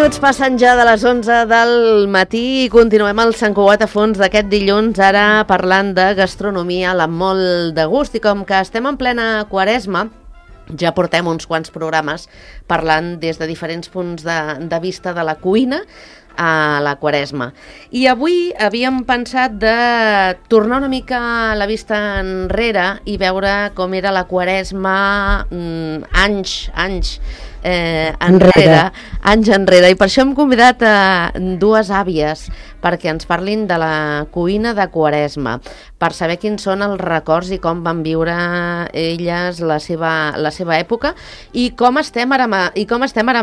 minuts passen ja de les 11 del matí i continuem al Sant Cugat a fons d'aquest dilluns, ara parlant de gastronomia amb molt de gust. I com que estem en plena Quaresma, ja portem uns quants programes parlant des de diferents punts de vista de la cuina a la Quaresma. I avui havíem pensat de tornar una mica la vista enrere i veure com era la Quaresma anys enrere. I per això hem convidat a dues àvies perquè ens parlin de la cuina de Quaresma, per saber quins són els records i com van viure elles la seva època i com estem ara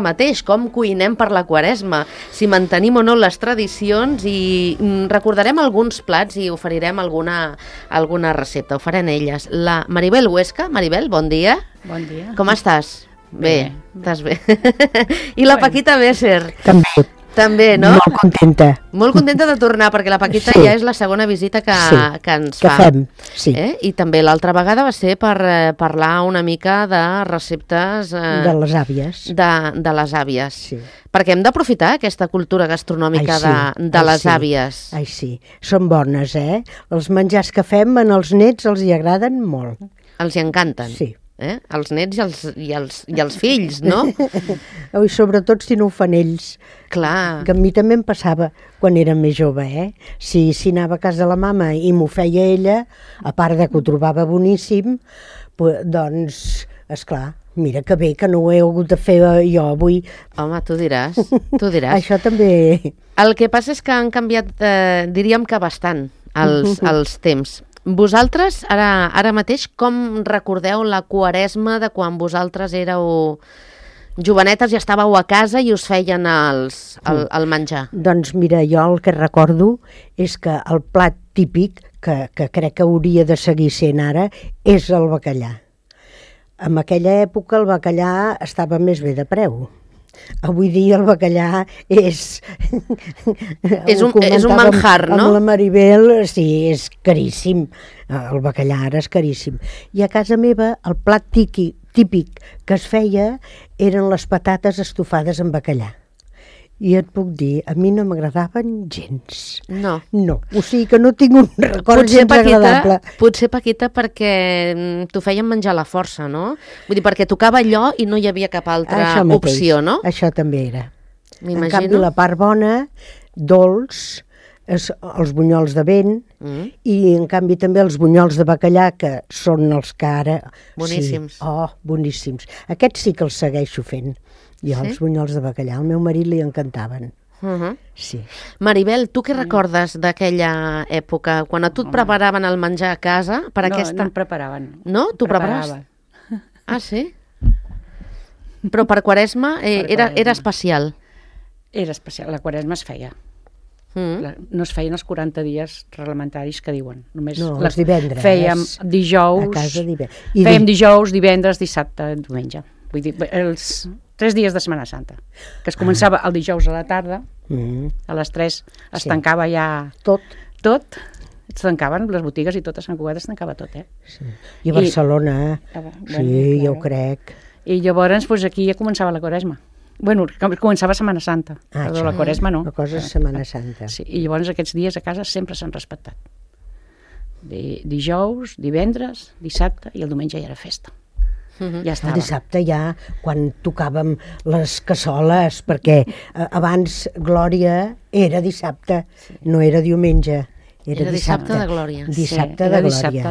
mateix, com cuinem per la Quaresma, si mantenim o no les tradicions, i recordarem alguns plats i oferirem alguna recepta. Ho faran elles. La Maribel Huesca. Maribel, bon dia. Bon dia. Com estàs? Bé, estàs bé. I la Paquita Besser. També, no? Molt contenta. Molt contenta de tornar, perquè la Paquita ja és la segona visita que ens fa. Fem, sí. I també l'altra vegada va ser per parlar una mica de receptes... de les àvies. De les àvies. Sí. Perquè hem d'aprofitar aquesta cultura gastronòmica de les àvies. Ai, sí. Són bones, eh? Els menjars que fem als nets els hi agraden molt. Els hi encanten. Sí. Els nets i els fills, no? I sobretot si no ho fan ells. Clar. Que a mi també em passava quan era més jove, eh? Si anava a casa de la mama i m'ho feia ella, a part de que ho trobava boníssim, doncs, esclar, mira que bé que no ho he hagut de fer jo avui. Home, tu diràs. Això també. El que passa és que han canviat, diríem que bastant, els temps. Vosaltres, ara mateix, com recordeu la Quaresma de quan vosaltres éreu jovenetes i estàveu a casa i us feien el menjar? Doncs mira, jo el que recordo és que el plat típic, que crec que hauria de seguir sent ara, és el bacallà. En aquella època el bacallà estava més bé de preu. Avui dia el bacallà és un manjar, no? Amb la Maribel, sí, és caríssim. El bacallà ara és caríssim. I a casa meva el plat típic que es feia eren les patates estofades amb bacallà. I et puc dir, a mi no m'agradaven gens. No. O sigui que no tinc un record gens agradable. Potser, Paquita, perquè t'ho feien menjar a la força, no? Vull dir, perquè tocava allò i no hi havia cap altra opció, no? Això també era. M'imagino. En canvi, la part bona, dolç, els bunyols de vent, i en canvi també els bunyols de bacallà, que són els que ara... Boníssims. Sí. Boníssims. Aquests sí que els segueixo fent. Els bunyols de bacallà, al meu marit li encantaven. Sí. Maribel, tu què recordes d'aquella època? Quan a tu et preparaven el menjar a casa? No em preparaven. No? Tu preparaves? Ah, sí? Però per Quaresma era especial? Era especial, la Quaresma es feia. No es feien els 40 dies reglamentaris que diuen. Els divendres. Fèiem dijous, a casa divendres, dissabte, diumenge. Vull dir, els 3 dies de Setmana Santa, que es començava el dijous a la tarda, a les 3 es tancava ja tot, es tancaven les botigues i tot a Sant Cugat es tancava tot, Sí. I a Barcelona, jo ho crec. I llavors aquí ja començava la Quaresma. Bueno, començava Setmana Santa, però la Quaresma no. La cosa és Setmana Santa. Sí, i llavors aquests dies a casa sempre s'han respectat. Dijous, divendres, dissabte i el diumenge ja era festa. Ja estava. El dissabte ja, quan tocàvem les cassoles, perquè abans Glòria era dissabte, no era diumenge. Era dissabte de Glòria. Dissabte de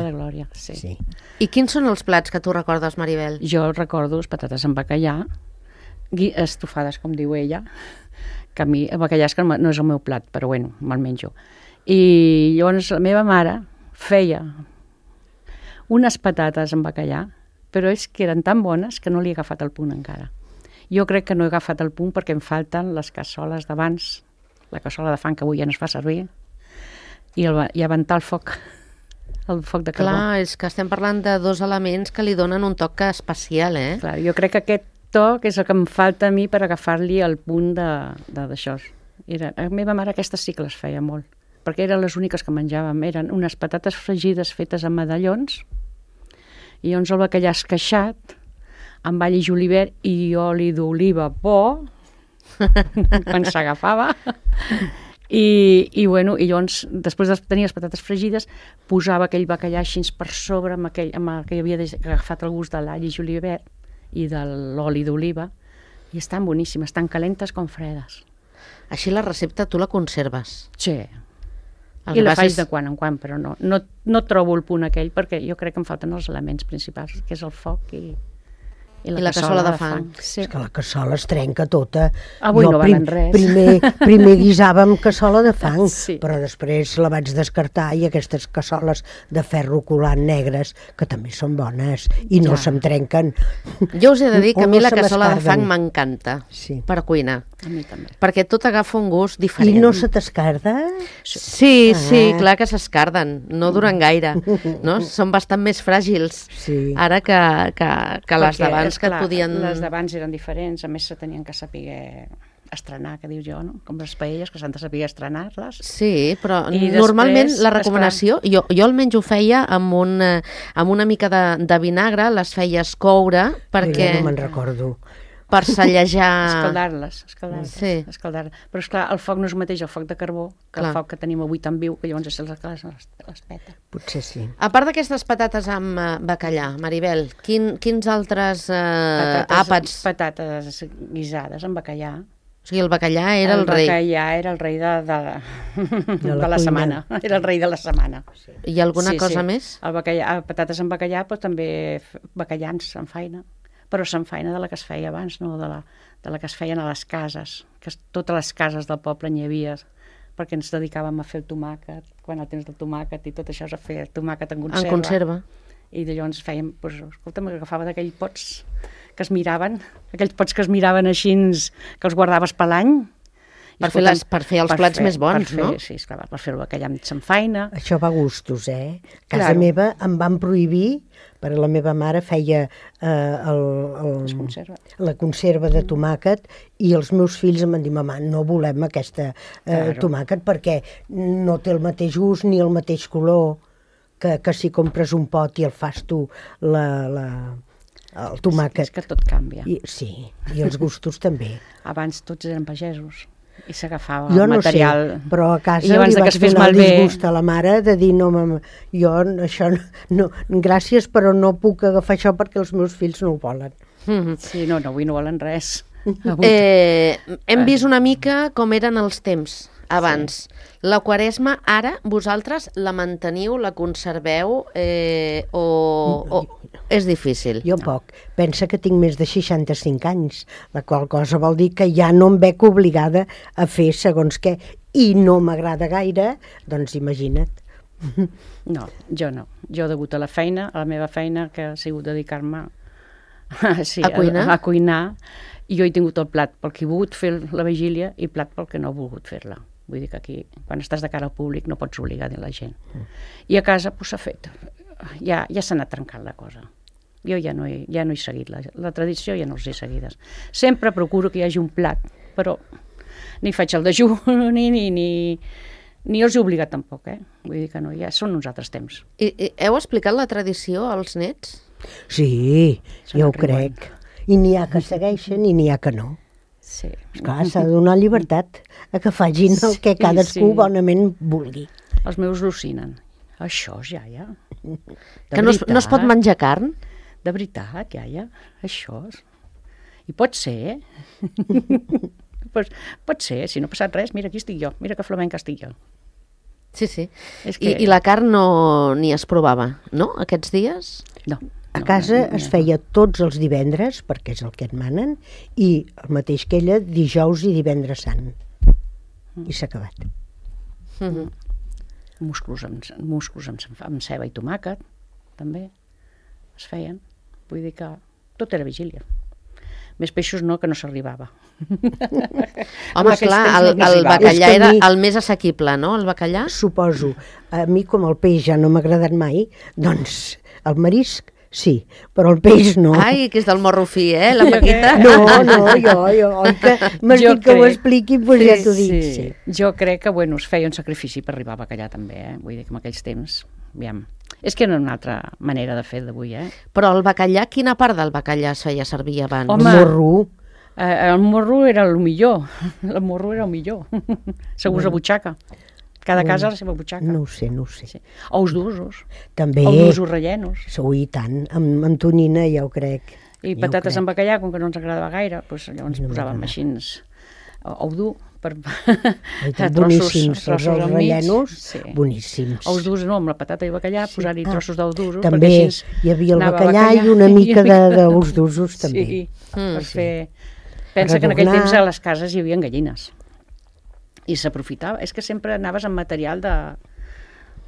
Glòria, sí. I quins són els plats que tu recordes, Maribel? Jo recordo les patates amb bacallà, estofades, com diu ella, que a mi el bacallà és que no és el meu plat, però bueno, me'l menjo. I llavors la meva mare feia unes patates amb bacallà, però és que eren tan bones que no li he agafat el punt encara. Jo crec que no he agafat el punt perquè em falten les cassoles d'abans, la cassola de fang que avui ja no es fa servir, i aventar el foc de carbó. Clar, és que estem parlant de dos elements que li donen un toc especial, eh? Clar, jo crec que aquest toc és el que em falta a mi per agafar-li el punt d'això. A meva mare aquestes sí que les feia molt, perquè eren les úniques que menjàvem. Eren unes patates fregides fetes amb medallons, i llavors el bacallà esqueixat, amb all i julivert i oli d'oliva bo, quan s'agafava. I llavors, després de tenir les patates fregides, posava aquell bacallà així per sobre amb que havia agafat el gust de l'all i julivert i de l'oli d'oliva, i estan boníssimes, tan calentes com fredes. Així la recepta tu la conserves? Sí. I la faig de quan en quan, però no trobo el punt aquell, perquè jo crec que em falten els elements principals, que és el foc i la cassola de fang. Sí. És que la cassola es trenca tota. Avui no valen res. Primer guisava amb cassola de fang, sí. Però després la vaig descartar i aquestes cassoles de ferro colant negres, que també són bones i no se'm trenquen. Jo us he de dir que a mi la cassola de fang m'encanta per cuinar. A mi també. Perquè tot agafa un gust diferent. I no se t'escarda? Sí, clar que s'escarden. No duren gaire. No? Són bastant més fràgils ara que les d'abans que et podien... Les d'abans eren diferents, a més se tenien que saber estrenar, que dius jo, no? Com les paelles, que s'han de saber estrenar-les. Sí, però normalment la recomanació, jo almenys ho feia amb una mica de vinagre, les feies coure, perquè... Jo no me'n recordo. Per sallejar... Escaldar-les. Però esclar, el foc no és el mateix el foc de carbó que el foc que tenim avui tan viu, que llavors les peta. Potser sí. A part d'aquestes patates amb bacallà, Maribel, quins altres àpats? Patates guisades amb bacallà. O sigui, el bacallà era el rei. El bacallà era el rei de la setmana. Era el rei de la setmana. I alguna cosa més? El bacallà, patates amb bacallà, però també bacallans amb faina. Però se'n feina de la que es feia abans, no de la que es feien a les cases, que totes les cases del poble n'hi havia, perquè ens dedicàvem a fer el tomàquet, quan el temps del tomàquet i tot això és a fer el tomàquet en conserva. En conserva. I llavors fèiem, escolta, m'agafava d'aquells pots que es miraven, aquells pots que es miraven així, que els guardaves per l'any. Per fer els plats més bons, no? Sí, esclar, per fer el bacallà amb feina. Això va a gustos, eh? A casa meva em van prohibir, perquè la meva mare feia la conserva de tomàquet i els meus fills em van dir, mama, no volem aquesta tomàquet perquè no té el mateix gust ni el mateix color que si compres un pot i el fas tu el tomàquet. És que tot canvia. Sí, i els gustos també. Abans tots eren pagesos i s'agafava el material. Jo no sé, però a casa li vaig donar el disgust a la mare de dir, no, mama, jo això no, gràcies, però no puc agafar això perquè els meus fills no ho volen. Sí, no, avui no volen res. Hem vist una mica com eren els temps abans. La Quaresma, ara, vosaltres la manteniu, la conserveu o és difícil? Jo poc. Pensa que tinc més de 65 anys, la qual cosa vol dir que ja no em veig obligada a fer segons què, i no m'agrada gaire, doncs imagina't. No, jo no. Jo, degut a la feina, a la meva feina, que ha sigut dedicar-me a cuinar, i jo he tingut el plat pel que he volgut fer la vigília i plat pel que no he volgut fer-la. Vull dir que aquí, quan estàs de cara al públic, no pots obligar a la gent. I a casa s'ha fet. Ja s'ha anat trencant la cosa. Jo ja no he seguit la tradició, ja no els he seguides. Sempre procuro que hi hagi un plat, però ni faig el dejú, ni els he obligat tampoc, Vull dir que no, ja són uns altres temps. I heu explicat la tradició als nets? Sí, jo ho crec. I n'hi ha que segueixen i n'hi ha que no. Sí. Esclar, s'ha de donar llibertat a que facin el que cadascú bonament vulgui. Els meus al·lucinen. Això, iaia. Que no es pot menjar carn? De veritat, iaia. Això. I pot ser, pot ser, si no ha passat res, mira, aquí estic jo, mira que flamenca estic jo. Sí. I la carn ni es provava, no, aquests dies? No. A casa es feia tots els divendres, perquè és el que et manen, i el mateix que ella, dijous i divendres sant. I s'ha acabat. Musclos amb ceba i tomàquet, també, es feien. Vull dir que tot era vigília. Més peixos no, que no s'arribava. Home, clar, el bacallà era el més assequible, no, el bacallà? Suposo. A mi, com el peix ja no m'ha agradat mai, doncs el marisc sí, però el peix no. Ai, que és del morro fi, la Paquita? No, jo, que m'has dit que ho expliqui, doncs ja t'ho dic. Sí. Jo crec que, es feia un sacrifici per arribar a bacallà també, Vull dir que en aquells temps, aviam, és que era una altra manera de fer d'avui, Però el bacallà, quina part del bacallà es feia servir abans? El morro, El morro era el millor. El morro era el millor. Segons la butxaca. Cada casa la seva butxaca. No ho sé. Sí. Ous d'usos. També. Ous d'usos rellenos. I tant, amb tonyina ja ho crec. I patates amb bacallà, com que no ens agradava gaire, doncs llavors posàvem així ou dur per boníssims, els rellenos, boníssims. Ous durs no, amb la patata i bacallà, posar-hi trossos d'ous durs. També hi havia el bacallà i una mica d'ous d'usos, també. Sí, per fer... Pensa que en aquell temps a les cases hi havia gallines. I s'aprofitava. És que sempre anaves amb material de...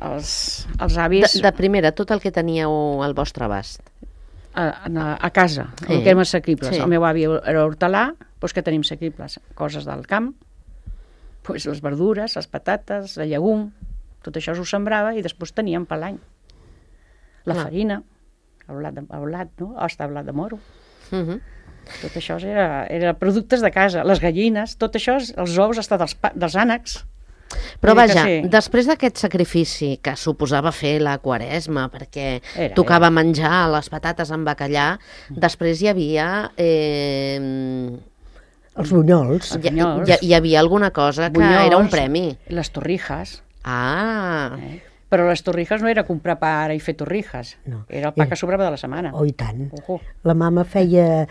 Els avis... De primera, tot el que teníeu al vostre abast. A casa, el que érem assequibles. El meu avi era hortelà, doncs què tenim assequibles? Coses del camp, doncs les verdures, les patates, el llegum, tot això s'ho sembrava i després teníem per l'any. La farina, el blat, no? Hosta, blat de moro. Tot això era productes de casa. Les gallines, tot això, els ous, hasta dels ànecs. Però vaja, després d'aquest sacrifici que suposava fer la Quaresma, perquè tocava menjar les patates amb bacallà, després hi havia... Els bunyols. Hi havia alguna cosa que era un premi. Les torrijas. Ah! Però les torrijas no era comprar pa ara i fer torrijas. Era el pa que sobrava de la setmana. Oh, i tant. La mama feia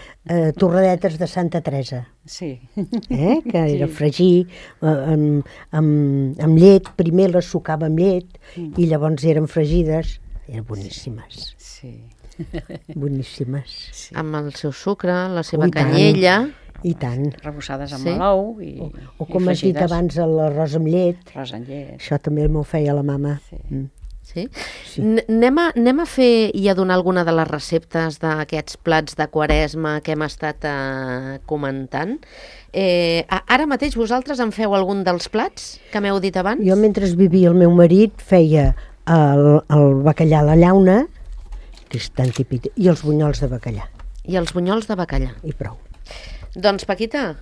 torradetes de Santa Teresa. Sí. Que era fregir amb llet. Primer les sucava amb llet i llavors eren fregides. Eren boníssimes. Sí. Boníssimes. Amb el seu sucre, la seva canyella... I tant. Rebussades amb l'ou i o com has dit abans, l'arròs amb llet. Arròs amb llet. Això també m'ho feia la mama. Sí? Anem a fer i a donar alguna de les receptes d'aquests plats de Quaresma que hem estat comentant. Ara mateix vosaltres en feu algun dels plats que m'heu dit abans? Jo, mentre vivia el meu marit, feia el bacallà a la llauna, que és tan típic, i els bunyols de bacallà. I els bunyols de bacallà. I prou. Doncs, Paquita,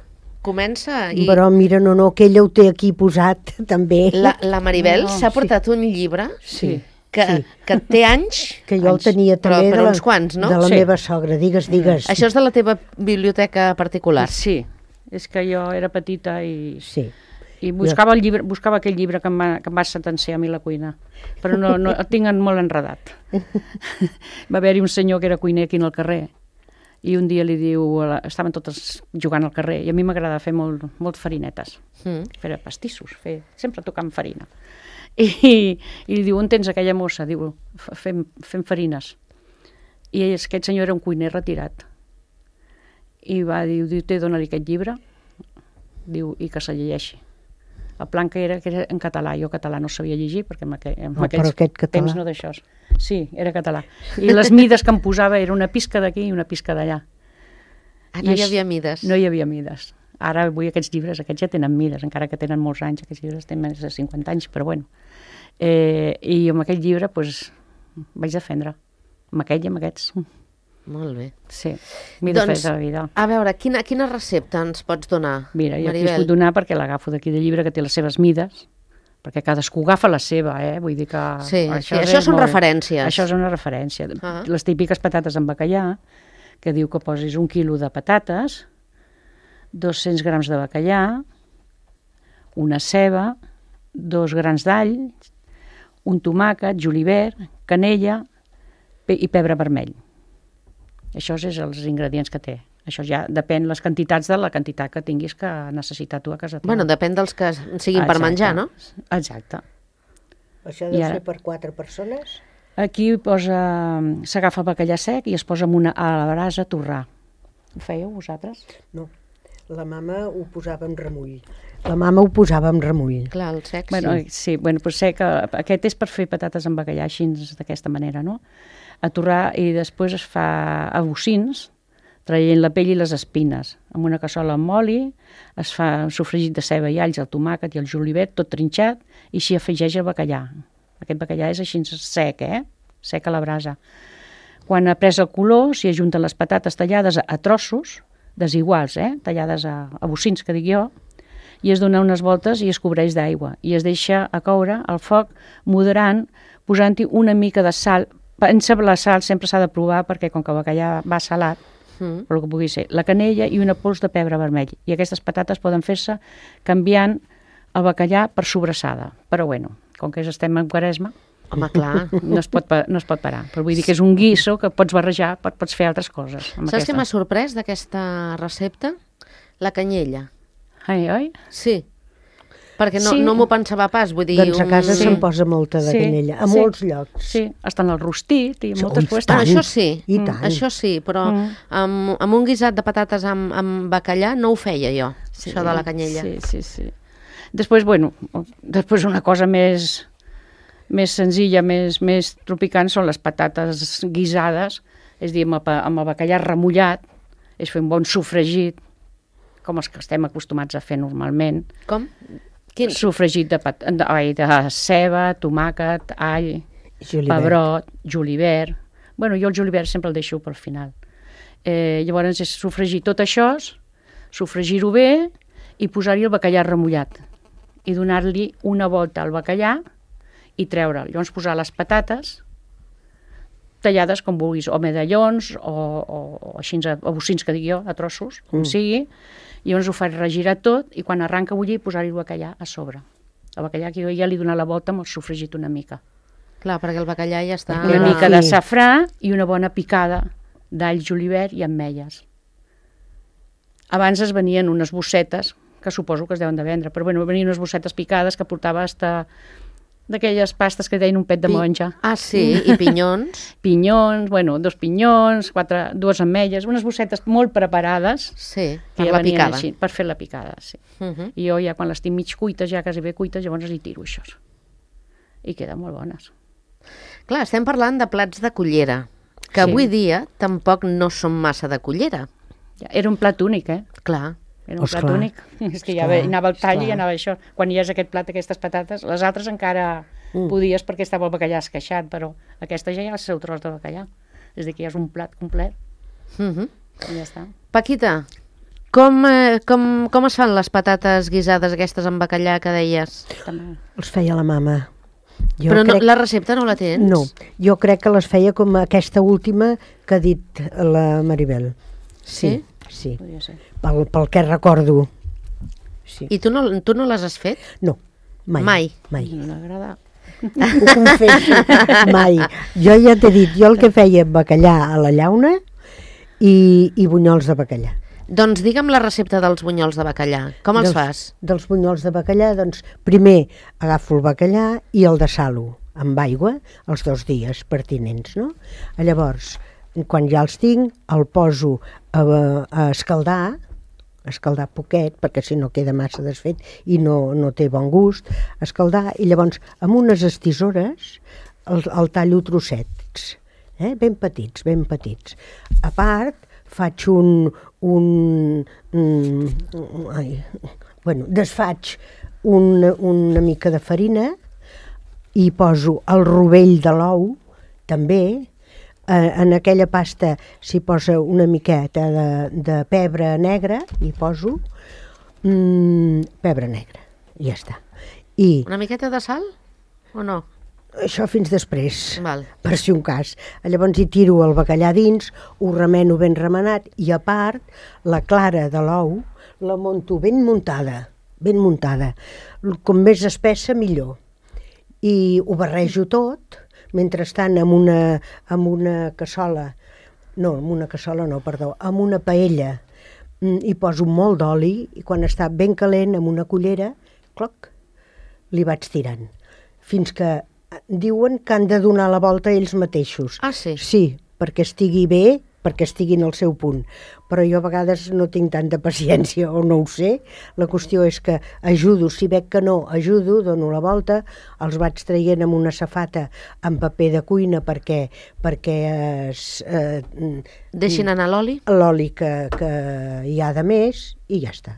comença. Però mira, no, que ella ho té aquí posat, també. La Maribel s'ha portat un llibre que té anys. Que jo el tenia també però uns quants, no? De la meva sogra, digues. Això és de la teva biblioteca particular? Sí, és que jo era petita i buscava aquell llibre que em va sentenciar a mi la cuina, però no el tinc molt enredat. Va haver-hi un senyor que era cuiner aquí al carrer, i un dia li diu, estaven totes jugant al carrer, i a mi m'agradava fer molt farinetes, fer pastissos, sempre tocant farina. I li diu, on tens aquella mossa? Diu, fem farines. I aquest senyor era un cuiner retirat. I va dir, té, dona-li aquest llibre, diu, i que se llegeixi. El plan que era en català, jo català no sabia llegir, perquè en aquells temps no d'això. Sí, era català. I les mides que em posava era una pisca d'aquí i una pisca d'allà. No hi havia mides? No hi havia mides. Ara avui aquests llibres, aquests ja tenen mides, encara que tenen molts anys, aquests llibres tenen més de 50 anys, però bueno. I amb aquell llibre vaig defendre, amb aquell i amb aquests. Molt bé. Sí, m'he de fer de la vida. A veure, quina recepta ens pots donar, Mira, jo aquí us puc donar perquè l'agafo d'aquí del llibre, que té les seves mides, perquè cadascú agafa la seva, vull dir que... Sí, això són referències. Això és una referència. Les típiques patates amb bacallà, que diu que posis 1 quilo de patates, 200 grams de bacallà, una ceba, 2 grans d'all, un tomàquet, julivert, canella i pebre vermell. Això és els ingredients que té. Això ja depèn les quantitats de la quantitat que tinguis que necessitar tu a casa teva. Bueno, depèn dels que siguin per menjar, no? Exacte. Això deu ser per 4 persones? Aquí s'agafa el bacallà sec i es posa a la brasa a torrar. Ho fèieu vosaltres? No, la mama ho posava en remull. Clar, el sec, sí. Doncs sec, aquest és per fer patates amb bacallà així d'aquesta manera, no? A torrar i després es fa a bocins, traient la pell i les espines. Amb una cassola amb oli es fa un sofregit de ceba i alls, el tomàquet i el julivert, tot trinxat, i s'hi afegeix el bacallà. Aquest bacallà és així sec, sec a la brasa. Quan ha pres el color, s'hi ajunten les patates tallades a trossos, desiguals, tallades a bocins, que dic jo, i es dona unes voltes i es cobreix d'aigua. I es deixa a coure al foc moderant, posant-hi una mica de sal. La sal sempre s'ha de provar perquè com que el bacallà va salat, però el que pugui ser, la canella i una pols de pebre vermell. I aquestes patates poden fer-se canviant el bacallà per sobrassada. Però bueno, com que estem en Quaresma, Home, clar. no es pot parar. Però vull dir que és un guiso que pots barrejar, pots fer altres coses. Saps què m'ha sorprès d'aquesta recepta? La canyella. Oi? Sí. Perquè Sí. no m'ho pensava pas, vull dir... Doncs a casa se'n posa molta de Sí, canyella, a sí. molts llocs. Sí, està en el rostit i moltes Ui, coses. tant. Això sí, I tant. això sí, però amb un guisat de patates amb bacallà no ho feia jo, això de la canyella. Sí. Després, després una cosa més senzilla, més tropicant, són les patates guisades, és a dir, amb el bacallà remullat, és fer un bon sofregit, com els que estem acostumats a fer normalment. Com? Quin? Sofregit de ceba, tomàquet, all, Julivert. pebrot, julivert. Bueno, jo el julivert sempre el deixo pel final. Llavors és sofregir tot això, sofregir-ho bé i posar-hi el bacallà remullat i donar-li una volta al bacallà i treure'l. Llavors posar les patates tallades com vulguis, o medallons o així a bocins, que dic jo, a trossos, com sigui. Llavors ho faig regirar tot i quan arranca a bullir posar-hi el bacallà a sobre. El bacallà que jo ja li he donat la volta amb el sofregit una mica. Clar, perquè el bacallà ja està... Una Ah, mica de sí. safrà i una bona picada d'all, julivert i ametlles. Abans es venien unes bossetes, que suposo que es deuen de vendre, però bueno, venien unes bossetes picades que portava hasta d'aquelles pastes que deien un pet de monja. Ah, sí, i pinyons. Pinyons, bueno, 2 pinyons, 2 ametlles, unes bossetes molt preparades. Sí, que per ja la venien picada. així, per fer la picada, sí. I jo ja quan les tinc mig cuites, ja quasi bé cuites, llavors hi tiro això. I queden molt bones. Clar, estem parlant de plats de cullera, que Sí. avui dia tampoc no són massa de cullera. Era un plat únic, Clar. Era un plat Esclar, únic. És que ja esclar, anava al tall i esclar. anava això. Quan hi és aquest plat, aquestes patates, les altres encara podies perquè estava el bacallà esqueixat, però aquesta ja hi ha el seu tros de bacallà. És a dir, que ja és un plat complet i ja està. Paquita, com es fan les patates guisades aquestes amb bacallà que deies? També. Els feia la mama. Jo Però crec... la recepta no la tens? No, jo crec que les feia com aquesta última que ha dit la Maribel. Sí? Sí, Podria ser. pel que recordo. Sí. I tu no les has fet? No, mai. Mai. No m'agrada. Ho confesso, mai. Jo ja t'he dit, jo el que feia bacallà a la llauna i bunyols de bacallà. Doncs digue'm la recepta dels bunyols de bacallà. Com els fas? Dels bunyols de bacallà, doncs primer agafo el bacallà i el dessalo amb aigua els 2 dies pertinents, no? Llavors, quan ja els tinc, el poso a escaldar poquet, perquè si no queda massa desfet i no té bon gust, escaldar, i llavors amb unes estisores el tallo trossets, ben petits, ben petits. A part, faig desfaig una mica de farina i poso el rovell de l'ou, també. En aquella pasta s'hi posa una miqueta de pebre negre, hi poso pebre negre, i ja està. I Una miqueta de sal o no? això fins després, Val. per si un cas. Llavors hi tiro el bacallà dins, ho remeno ben remenat, i a part la clara de l'ou la monto ben muntada. Com més espessa, millor. I ho barrejo tot, mentrestant amb una cassola, amb una paella, hi poso molt d'oli i quan està ben calent, amb una cullera, cloc, li vaig tirant. Fins que diuen que han de donar la volta ells mateixos. Ah, sí? Sí, perquè estigui bé, perquè estiguin al seu punt. Però jo a vegades no tinc tanta paciència o no ho sé. La qüestió és que ajudo, si veig que no, ajudo, dono la volta, els vaig traient amb una safata amb paper de cuina perquè Deixin anar l'oli? l'oli que hi ha de més i ja està.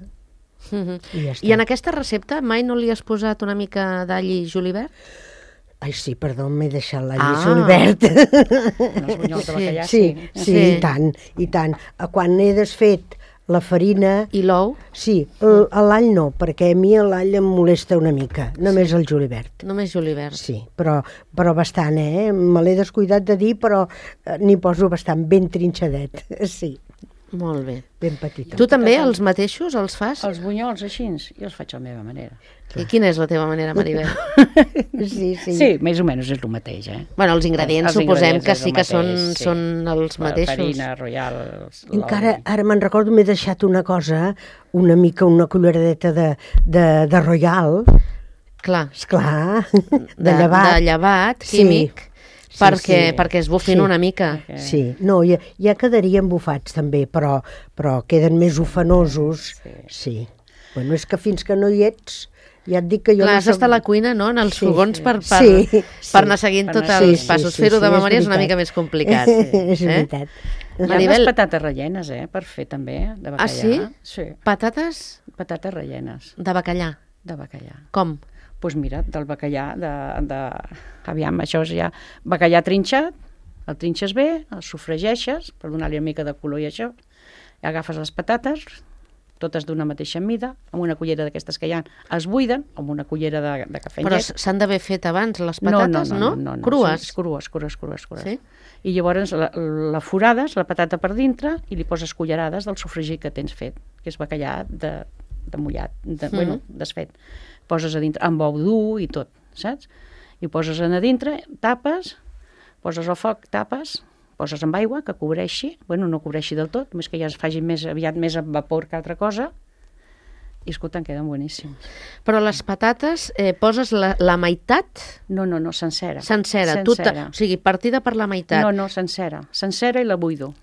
I ja està. I en aquesta recepta mai no li has posat una mica d'all i julivert? Ai, sí, perdó, m'he deixat l'all Ah. i julivert. Els bunyols de bacallà, Sí, i tant, i tant. Quan he desfet la farina... I l'ou? Sí, l'all no, perquè a mi l'all em molesta una mica, només el julivert. Només julivert. Sí, però bastant, Me l'he descuidat de dir, però n'hi poso bastant ben trinxadet, sí. Molt bé. ben petita. Tu també els mateixos els fas? Els bunyols així, jo els faig a la meva manera. I quina és la teva manera, Maribel? Sí, més o menys és el mateix, Bueno, els ingredients Els suposem ingredients que és sí el que mateix, són els mateixos. Farina, royal, Encara, ara me'n recordo, m'he deixat una cosa, una mica, una culleradeta de royal, Clar, esclar, de llevat. de llevat Sí. químic, Sí, perquè es bufin Sí. una mica. Sí, no, ja quedarien bufats també, però queden més ufanosos. Sí. Bueno, és que fins que no hi ets, ja et dic que jo Clar, no has d'estar a la cuina, no?, en els Sí. fogons per Sí. anar seguint tots anar els seguint. passos. Sí, Fer-ho de és memòria és una veritat. mica més complicat. És veritat. Hi ha Maribel- unes patates rellenes, per fer també, de bacallà. Ah, sí? Sí, Patates patates rellenes de bacallà. de bacallà. Com? Doncs mira, del bacallà, aviam, això és ja bacallà trinxat, el trinxes bé, el sofregeixes per donar-li una mica de color i això, i agafes les patates, totes d'una mateixa mida, amb una cullera d'aquestes que hi ha, es buiden, amb una cullera de cafè amb Però llet. s'han d'haver fet abans les patates, no? Crues? Sí, crues. Sí? I llavors la forades, la patata per dintre, i li poses cullerades del sofregit que tens fet, que és bacallà de mullat, bueno, desfet. Poses a dintre, amb ou dur i tot, saps? I poses a dintre, tapes, poses al foc, tapes, poses amb aigua que cobreixi, bueno, no cobreixi del tot, només que ja es faci més aviat més amb vapor que altra cosa, i escolta, en queden boníssims. Però les patates poses la meitat No, sencera. sencera. O sigui, partida per la meitat. No, sencera. Sencera i la buido.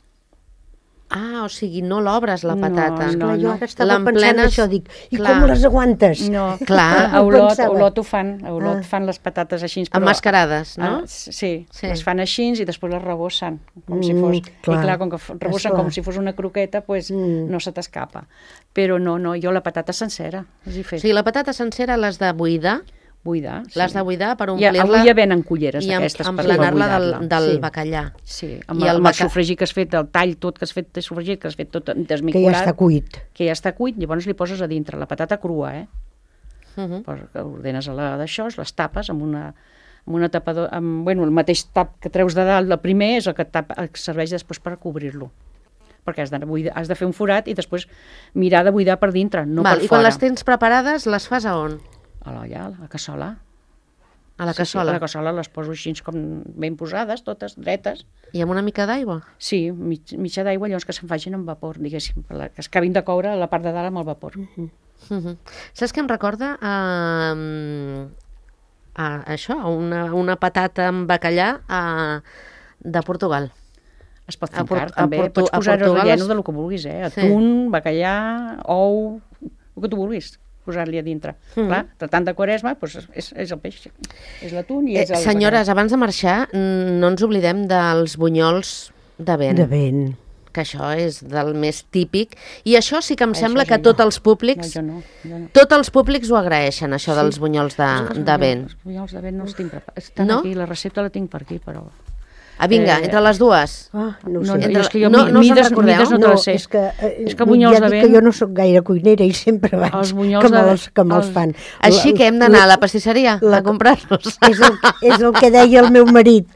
Ah, o sigui, no l'obres la No, patata. Esclar, jo ara estava pensant L'emplenes- això, dic, i Clar. com les aguantes? No, Clar. a Olot, Pensava. a Olot fan les patates així. Però, Emmascarades, no? Sí, Sí. les fan així i després les rebossen, com si fos... clar. I clar, com que rebossen Esclar. com si fos una croqueta, pues, no se t'escapa. Però no, jo la patata sencera, els hi O fet. sigui, la patata sencera l'has de buidar, Buidar. l'has de buidar per I omplir-la avui ja venen culleres i d'aquestes per emplenar-la buidar-la. del Sí. bacallà. Sí, I amb el el sofregit que has fet, el tall tot que has fet de sofregit, que has fet tot Que desmiculat, ja està cuit. que ja està cuit, llavors li poses a dintre la patata crua, Mhm. ordenes d'això, les tapes amb una tapador, bueno, el mateix tap que treus de dalt, el primer és el que serveix després per cobrir-lo, perquè has de fer un forat i després mirar de buidar per dintre, no Val, per I quan fora. les tens preparades, les fas a on? A la cassola. A la Sí, cassola? a la cassola les poso així com ben posades, totes dretes. I amb una mica d'aigua? Sí, mitja d'aigua, llavors que se'n facin amb vapor, diguéssim, que es acabin de coure a la part de dalt amb el vapor. Mhm. Saps què em recorda? Això, una patata amb bacallà de Portugal. Es pot A fincar, Port- també. a Pots posar Portugal relleno es- del que vulguis, Sí. Atún, bacallà, ou, el que tu vulguis posar-li a dintre. Clar, tratant de Quaresma, doncs és el peix, és l'atún i és el Senyores, abans de marxar, no ens oblidem dels bunyols de vent, De vent. que això és del més típic. I això sí que em sembla Això que sí, tots no. els públics... jo no. Tots els públics ho agraeixen, això dels bunyols de vent. Els bunyols de vent no els tinc preparats. Estan No? aquí, la recepta la tinc per aquí, però... Vinga, entre les dues. Ah, no ho No, sé. jo és que jo No se'n mides recordeu? no te les sé. és que, És que bunyols ja de dic vent... que jo no sóc gaire cuinera i sempre vaig Els bunyols que de me'ls vent- fan. Així que hem d'anar a la pastisseria a comprar-los. És el que deia el meu marit.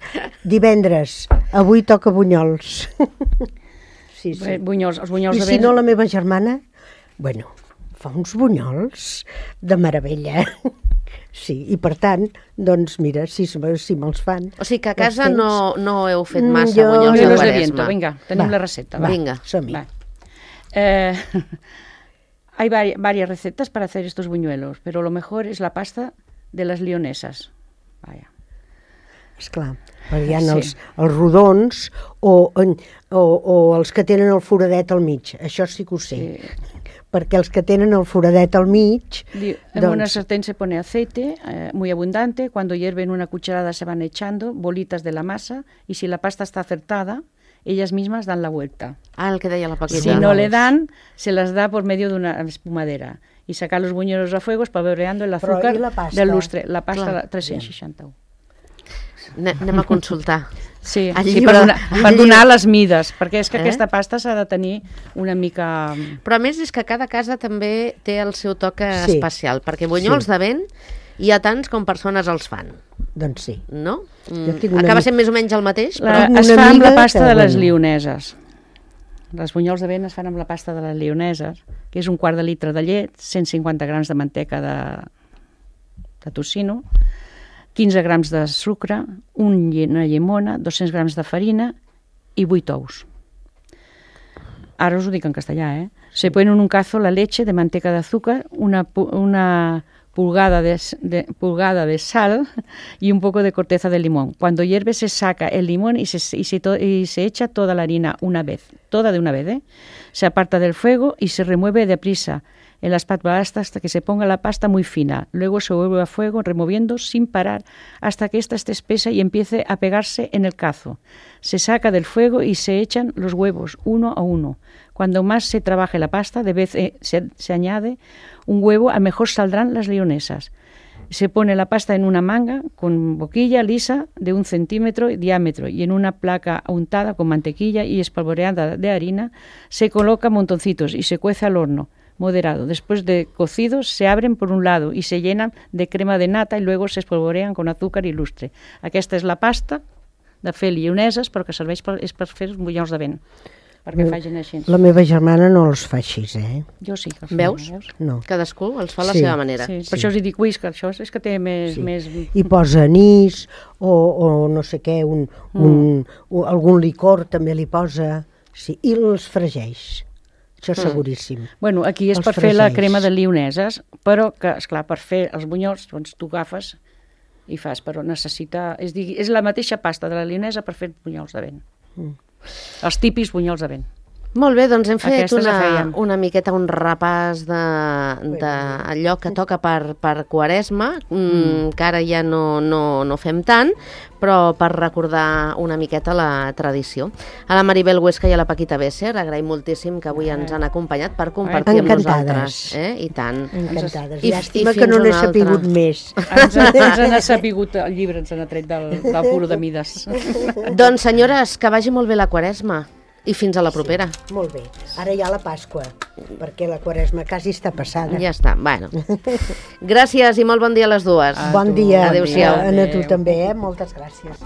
Divendres, avui toca bunyols. Sí, sí. Els bunyols I de si vent... no, la meva germana, bueno, fa uns bunyols de meravella. Sí, i per tant, doncs mira, si me'ls fan... O sigui que a casa els tens. no heu fet massa Jo- bunyols de Bunyols de Quaresma. viento, vinga, tenim Va, la recepta. va. Vinga. Som-hi. Va. Hay varias recetas para hacer estos buñuelos, pero lo mejor es la pasta de las lionesas. Vaya. Esclar, perquè hi ha Sí. els rodons o els que tenen el foradet al mig. Això sí que ho sé. Sí. Perquè els que tenen el foradet al mig... En una sartén se pone aceite muy abundante. Cuando hierven una cucharada se van echando bolitas de la masa y si la pasta está acertada, ellas mismas dan la vuelta. Ah, el que deia la Paquita. Si no le dan, se las da por medio de una espumadera. Y sacar los buñuelos a fuego espolvoreando el Però azúcar i la pasta? del lustre. La pasta Clar. la 361. Anem a consultar. Sí, El sí llibre- per donar les mides, perquè és que aquesta pasta s'ha de tenir una mica... Però a més és que cada casa també té el seu toc Sí. especial, perquè bunyols de vent hi ha tants com persones els fan, Doncs sí. no? Jo tinc una Acaba amiga- sent més o menys el mateix, però... Tinc Es una fa amb la amiga pasta que, de les bueno. lioneses. Les bunyols de vent es fan amb la pasta de les lleoneses, que és un quart de litre de llet, 150 grams de manteca de tocino, 15 grams de sucre, una llimona, 200 grams de farina y 8 ous. Ahora os lo digo en castellà, Se pone en un cazo la leche de manteca de azúcar, una pulgada de sal y un poco de corteza de limón. Cuando hierve se saca el limón y se echa toda la harina toda de una vez. Se aparta del fuego y se remueve deprisa en la espátula hasta que se ponga la pasta muy fina. Luego se vuelve a fuego removiendo sin parar hasta que ésta esté espesa y empiece a pegarse en el cazo. Se saca del fuego y se echan los huevos uno a uno. Cuando más se trabaje la pasta, se añade un huevo, a mejor saldrán las leonesas. Se pone la pasta en una manga con boquilla lisa de 1 centímetro de diámetro y en una placa untada con mantequilla y espolvoreada de harina se coloca montoncitos y se cuece al horno moderado. Después de cocidos se abren por un lado y se llenan de crema de nata y luego se espolvorean con azúcar i lustre. Aquesta és la pasta de fer lleoneses, però que serveix per fer els bunyols de vent, perquè facin així. La meva germana no els fa així, Jo sí que els Veus? No. Cadascú els fa a la seva manera. Sí. Per això us dic, que això és que té més... I posa anís o no sé què, algun licor també li posa, sí, i els fregeix. Això és seguríssim. Bueno, aquí és per fer la crema de lleoneses, però que, esclar, per fer els bunyols, doncs tu agafes i fas, però necessita... És la mateixa pasta de la lleonesa per fer bunyols de vent. Els típics bunyols de vent. Molt bé, doncs hem fet una miqueta un repàs d'allò que toca per Quaresma, que ara ja no fem tant, però per recordar una miqueta la tradició. A la Maribel Huesca i a la Paquita Besser, agraïm moltíssim que avui ens han acompanyat per compartir amb nosaltres. I tant. Encantades. Llàstima que no n'he sapigut més. Ens n'ha sapigut el llibre, ens n'ha tret del puro de mides. Doncs senyores, que vagi molt bé la Quaresma. I fins a la propera. Sí, molt bé. Ara hi ha la Pasqua, perquè la Quaresma quasi està passada. Ja està, bueno. Gràcies i molt bon dia a les dues. Bon dia. Adéu-siau. A tu també, moltes gràcies.